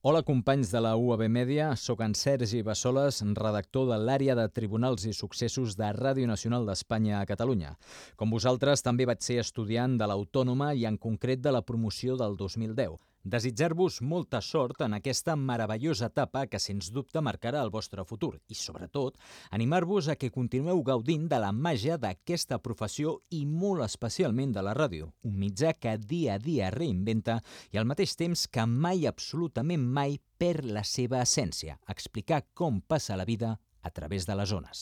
Hola, companys de la UAB Mèdia. Soc en Sergi Bassoles, redactor de l'àrea de Tribunals i Successos de Ràdio Nacional d'Espanya a Catalunya. Com vosaltres, també vaig ser estudiant de l'Autònoma i en concret de la promoció del 2010. Desitjar-vos molta sort en aquesta meravellosa etapa que sens dubte marcarà el vostre futur i, sobretot, animar-vos a que continueu gaudint de la màgia d'aquesta professió i molt especialment de la ràdio, un mitjà que dia a dia reinventa i al mateix temps que mai, absolutament mai, perd la seva essència, explicar com passa la vida a través de les ones.